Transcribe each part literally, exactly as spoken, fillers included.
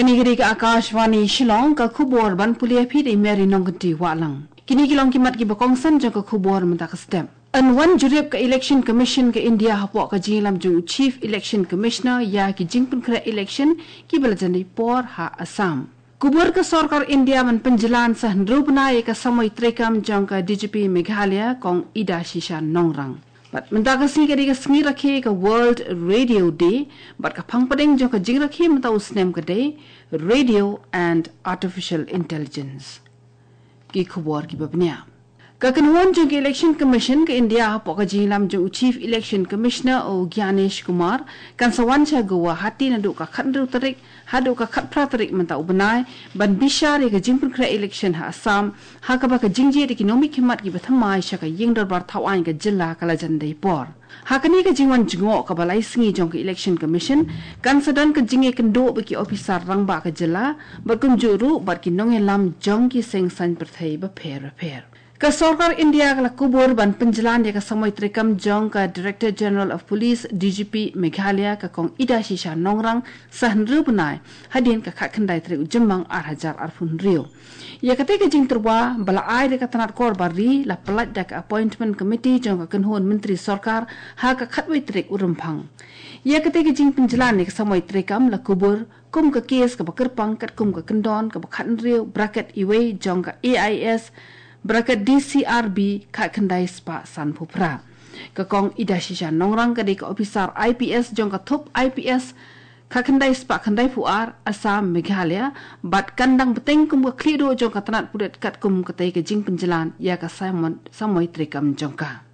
Kine ki dei ka Akashvani Shillong, ka khubor ban pule ïa phi da i Mary Nongkynti Wahlang. Kine ki long ki mat kiba kongsan jong ka khubor mynta ka step. Yn wan jurip ka Election Commission ka India hapoh ka jingïalam jong u Chief Election Commissioner ïa ki jingpynkhreh election kiba la jan dei por ha Assam. Kubur ka sorkar India ban pynjlan sa hynriew bnai ïa ka samoi treikam jong ka D G P Meghalaya, Kong Idashisha Nongrang. Bad mynta ka sngi ka dei ka sngi rakhe ka World Radio Day, bad ka phang pdeng jong ka jingrakhe mynta u snem ka dei Radio and Artificial Intelligence. Ki khubor kiba bniah. Ka kynhun jong ka Election Commission ka India hapoh ka jingïalam jong u Chief Election Commissioner u Gyanesh Kumar kan sa wan sha Guwahati naduh ka khathynriew tarik haduh ka khatphra tarik mynta u bnai, ban bishar ïa ka jingpynkhreh election ha Assam, ha kaba ka jingjied ïa ki nongmihkhmat kiba thymmai sha ka ïing dorbar thawaiñ ka jylla ka la jan dei por. Ha kane ka jingwan jngoh kaba lai sngi jong ka Election Commission, kan sa don ka jingïakynduh bad ki ophisar rangbah ka jylla, bad kumjuh ruh bad ki nongïalam jong ki seng saiñ pyrthei bapher bapher. Ka sorkar India ka la kubur ban pynjlan ïa ka samoi treikam jong ka Director General of Police, D G P Meghalaya, ka Kong Idashisha Nongrang, sa hynriew bnai, hadien ka khatkhyndai tarik u Jymmang ar hajar arphew hynriew. Ïa katei ka jingtyrwa ba la ai da ka tnat kor bar ri la pyllait da ka Appointment Committee jong ka kynhun myntri sorkar ha ka khatwei tarik u Rymphang. Ïa katei ka jingpynjlan ïa ka samoi treikam la kubur kum ka kes kaba kyrpang katkum ka kyndon kaba khathynriew bracket iwei jong ka A I S bracket D C R B khatkhyndai spah sanphew phra. Ka Kong Idashisha Nongrang ka dei ka ophisar I P S jong ka thup I P S khatkhyndai spah khyndaiphew ar Assam Meghalaya, bad kan dang bteng kum ka khlieh duh jong ka tnat pulit katkum katei ka jingpynjlan ïa ka samoi, samoi treikam jong ka.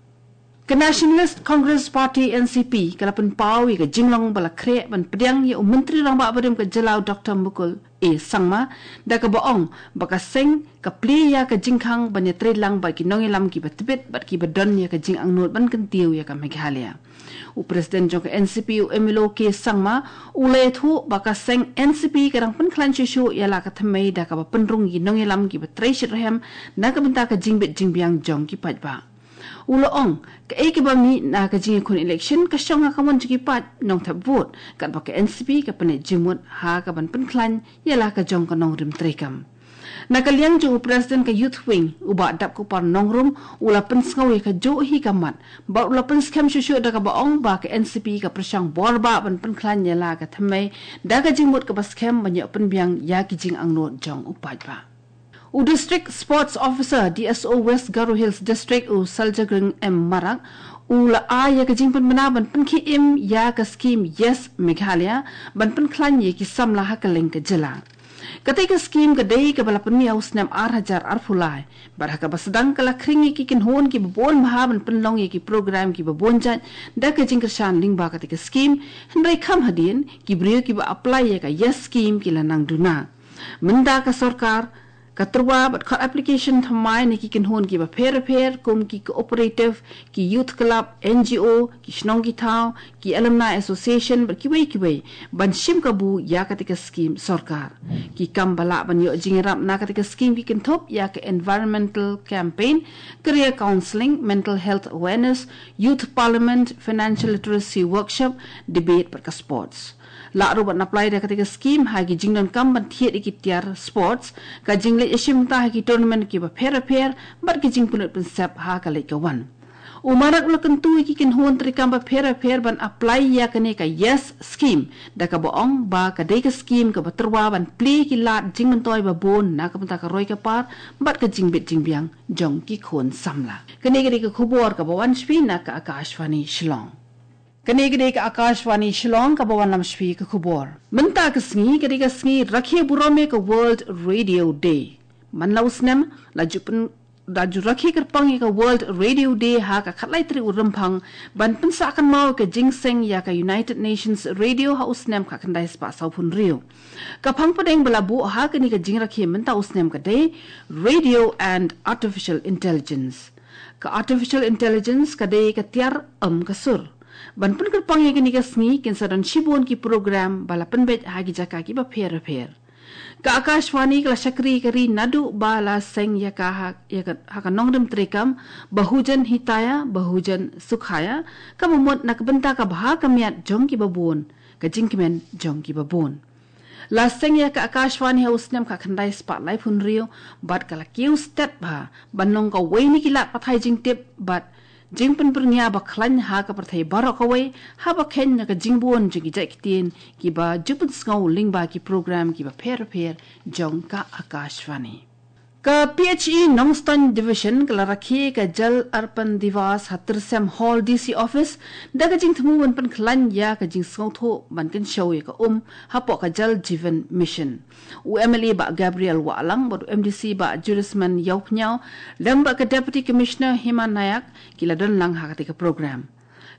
Ka Nationalist Congress Party, N C P, ka la pynpaw ïa ka jinglong ba la khreh ban pdiang ïa u Myntri Rangbah barim ka jylla u Doctor Mukul A Sangma, da kaba ong ba ka seng ka plie ïa ka jingkhang ban ïatreilang bad ki nongïalam kiba tbit bad kiba don ïa ka jingangnud ban kyntiew ïa ka Meghalaya. U President jong ka N C P, u M L O K Sangma, u la ïathuh ba ka seng N C P ka dang pynkhlaiñ shuh shuh ïa la ka thymmei da kaba pynrung ïa ki nongïalam kiba trei shitrhem na ka bynta ka jingbit jingbiang jong ki paidbah. U la ong, kaei kaba mih na ka jingïakhun election ka shong ha ka mon jong ki paid nongthep vote, katba ka N C P ka pynleit jingmut ha kaban pynkhlaiñ ïa la ka jong ka nongrim treikam. Na ka liang jong u President ka Youth Wing, u Bah Dapkupar Nongrum, u la pynsngew ïa kajuh hi ka mat, bad u la pynskhem shuh shuh da kaba ong ba ka N C P ka pyrshang bor bha ban pynkhlaiñ ïa la ka thymmei da ka jingmut kaba skhem ban ïoh pynbiang ïa ki jingangnud jong u paidbah. U District Sports Officer, D S O West Garo Hills District, u Saljagring M Marak, u la ai ïa ka jingpynbna ban pynkhie im ïa ka skim Yes Meghalaya ban pynkhlaiñ ïa ki samla ha kylleng ka jylla. Katei ka skim ka dei kaba la pynmih ha u snem ar hajar arphew lai, bad ha kaba sdang ka la khring ïa ki kynhun kiba bun bha ban pynlong ïa ki program kiba bun jait da ka jingkyrshan lyngba katei ka skim, hynrei kham hadien ki briew kiba apply ïa ka Yes Scheme ki la nang duna. Mynta ka sorkar ka tyrwa bad khot application thymmai na ki kynhun kiba pher pher kum ki cooperative, ki youth club, N G O, ki shnong ki thaw, ki alumni association bad kiwei kiwei ban shim kabu ïa katei ka skim sorkar. Ki kam ba lah ban ïoh jingïarap na katei ka skim ki kynthup ïa ka environmental campaign, career counselling, mental health awareness, youth parliament, financial literacy workshop, debate bad ka sports. Lah ruh ban apply da katei ka skim ha ki jingdonkam ban thied ïa ki tiar sports, ka jingleit ïashim bynta ha ki tournament kiba pher pher bad ki jingpynlut pynsep ha ka leit ka wan. U Marak u la kyntu ïa ki kynhun treikam bapher bapher ban apply ïa kane ka Yes Scheme, da kaba ong ba ka dei ka skim kaba tyrwa ban plie ki lad jingmyntoi babun na ka bynta ka roi ka par bad ka jingbit jingbiang jong ki khun samla. Kane ka dei ka khubor kaba wan sha phi na ka Akashvani Shillong. Kane ka dei ka Akashvani Shillong kaba wanlam sha phi ka khubor. Mynta ka sngi ka dei ka sngi rakhe burom ïa ka World Radio Day. Man la u snem la ju pyn, la ju rakhe kyrpang ïa ka World Radio Day ha ka khatlai tarik u Rymphang ban pynsah kynmaw ïa ka jingseng ïa ka United Nations Radio ha u snem khatkhyndai spah sawphew hynriew. Ka phang pdeng ba la buh ha kane ka jingrakhe mynta u snem ka dei Radio and Artificial Intelligence. Ka Artificial Intelligence ka dei ka tiar em ka sur. Ban pynkyrpang ïa kane ka sngi kin sa don shibun ki program ba la pynbeit ha ki jaka kiba pher pher. Ka Akashvani ka la shakri ka ri naduh ba la seng ïa ka ha, ïa ka, ha ka nongrim treikam Bahujan Hitaya, Bahujan Sukhaya, kaba mut na ka bynta ka bha ka miat jong kiba bun, ka jingkmen jong kiba bun. La seng ïa ka Akashvani ha u snem khatkhyndai spah laiphew hynriew, bad ka la kiew stet bha ban long kawei na ki lad pathai jingtip bad jingpynbyrngia ba khlaiñ ha ka pyrthei baroh kawei, haba kheiñ na ka jingbun jong ki jait ktien kiba ju pynsngew lyngba ki program kiba pher pher jong ka Akashvani. Ka P H E Nongstoiñ Division ka la rakhe ka Jal Arpan Diwas ha Tyrsem Hall D C Office, da ka jingthmu ban pynkhlaiñ ïa ka jingsngewthuh ban kynshew ïa ka um hapoh ka Jal Jeevan Mission. U M L A Bah Gabriel Wahlang bad u M D C Bah Jurisman Ïawphniaw lem bad ka Deputy Commissioner Hima Nayak ki la don lang ha katei ka program.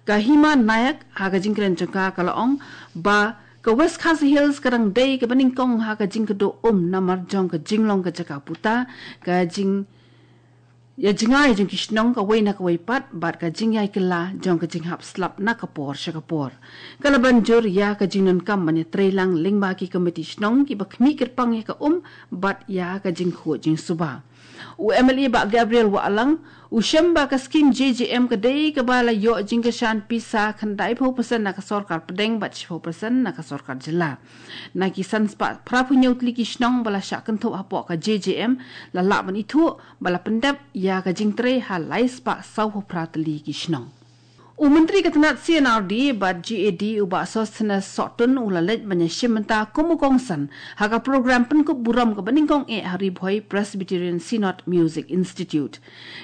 Ka Hima Nayak ha ka jingkren jong ka ka la ong ba ka West Khasi Hills ka dang dei kaba nyngkong ha ka jingkduh um namar jong ka jinglong ka jaka puta, ka jing ïa jngai jong ki shnong kawei na kawei pat bad ka jingïai kylla jong ka jinghap slap na ka por sha ka por. Ka la ban jur ïa ka jingdonkam ban ïatreilang lyngba ki komiti shnong kiba khmih kyrpang ïa ka um bad ïa ka jingkhuid jingsuba. U M L A Bah Gabriel Wahlang u shem ba ka skim J J M ka dei kaba la ïoh jingkyrshan pisa khyndaiphew percent na ka sorkar pdeng bad shiphew percent na ka sorkar jylla. Na ki san spah phraphew hynñiew tylli ki shnong ba la shah kynthup hapoh ka J J M la lah ban ithuh ba la pyndep ïa ka jingtrei ha lai spah sawphew phra tylli ki shnong. U Myntri ka tnat C and R D bad G A D u Bah Sosthenes Sohtun u la leit ban ïashim bynta kum u kongsan ha ka program pynkup burom kaba nyngkong eh ha Ri Bhoi Presbyterian Synod Music Institute.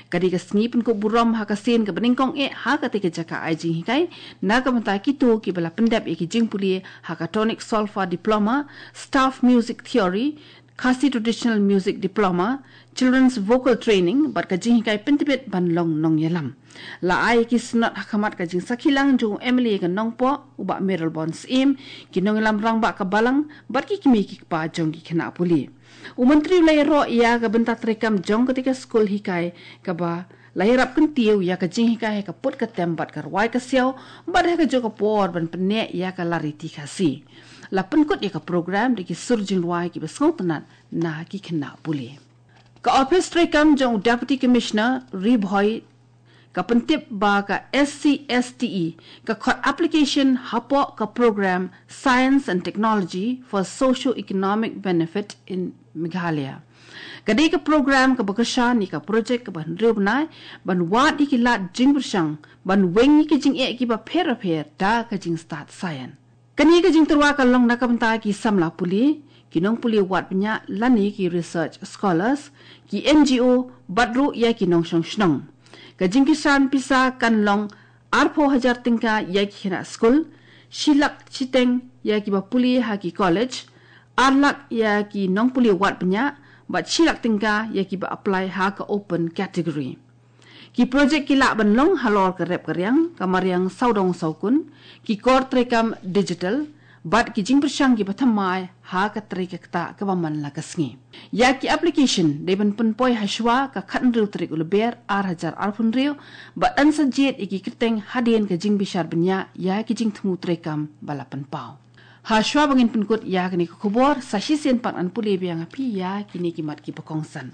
Ka dei ka sngi pynkup burom ha ka sien kaba nyngkong eh ha katei ka jaka ai jinghikai na ka bynta kito kiba la pyndep ïa ki jingpule ha ka Tonic Solfa Diploma, Staff Music Theory, Khasi Traditional Music Diploma, Children's Vocal Training bad ka jinghikai pyntbit ban long nongïalam. La ai ki snot ha khmat ka jingsakhi lang jong u M L A ka Nongpoh u Bah Mayralborn Syiem, ki nongïalam rangbah ka Balang bad ki kmie ki kpa jong ki khynnah pule. U Myntri u la ïaroh ïa ka bynta treikam jong katei ka skul hikai kaba la ïarap kyntiew ïa ka jinghikai ha ka put ka tem bad ka rwai ka siaw bad ha kajuh ka por ban pynneh ïa ka lariti Khasi. La pynkut ïa ka program da ki sur jingrwai kiba sngewtynnat na ki khynnah pule. Ka ophis treikam jong u Deputy Commissioner Ri Bhoi ka pyntip ba ka S C S T E ka khot application hapoh ka program Science and Technology for Socio-Economic Benefit in Meghalaya. Ka dei ka program kaba kyrshan ïa ka projek kaba hynriew bnai ban wad ïa ki lad jingpyrshang ban weng ïa ki jingeh kiba pher bapher da ka jingstad science. Kane ka jingtyrwa ka long na ka bynta ki samla pule, ki nongpule wad bniah lane ki research scholars, ki N G O bad ruh ïa ki nongshong shnong. Ka jingkyrshan pisa kan long arphew hajar tyngka ïa ki khynnah skul, shi lak shiteng ïa kiba pule ha ki college, ar lak ïa ki nongpule wad bniah bad shi lak tyngka ïa kiba apply ha ka open category. Ki projek ki lah ban long halor ka rep ka riang, ka mariang sawdong sawkun, ki kor treikam digital bad ki jingpyrshang kiba thymmai ha ka trei ka ktah kaba man la ka sngi. Ïa ki application dei ban pynpoi ha shuwa ka khathynriew tarik u Lber ar hajar arphew hynriew bad yn sa jied ïa ki kyrteng hadien ka jingbishar bniah ïa ki jingthmu treikam ba la pynpaw. Ha shuwa ba ngin pynkut ïa kane ka khubor, sa shisien pat ngan pule biang ïa phi ïa kine ki mat kiba kongsan.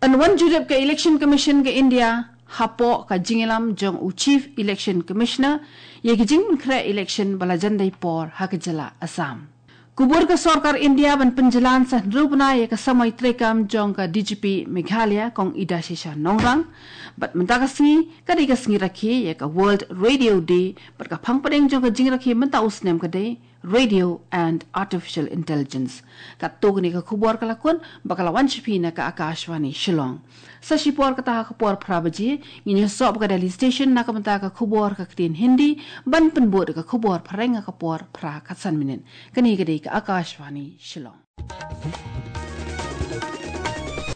Yn wan jurip ka Election Commission ka India hapoh ka jingïalam jong u Chief Election Commissioner ïa ki jingpynkhreh election ba la jan dei por ha ka jylla Assam. Kubur ka sorkar India ban pynjlan sa hynriew bnai ïa ka samoi treikam jong ka D G P Meghalaya Kong Idashisha Nongrang. Bad mynta ka sngi ka dei ka sngi rakhe ïa ka World Radio Day bad ka phang pdeng jong ka jingrakhe mynta u snem ka dei Radio and Artificial Intelligence. Katto kane ka khubor ka la kut bad ka la wan sha phi na ka Akashvani Shillong. Sa shipor kata ha ka por phra baje ngin ïasoh bad ka Delhi Station na ka bynta ka khubor ka ktien Hindi ban pynbud da ka khubor phareng ha ka por phra khatsan minit. Kane ka dei ka Akashvani Shillong.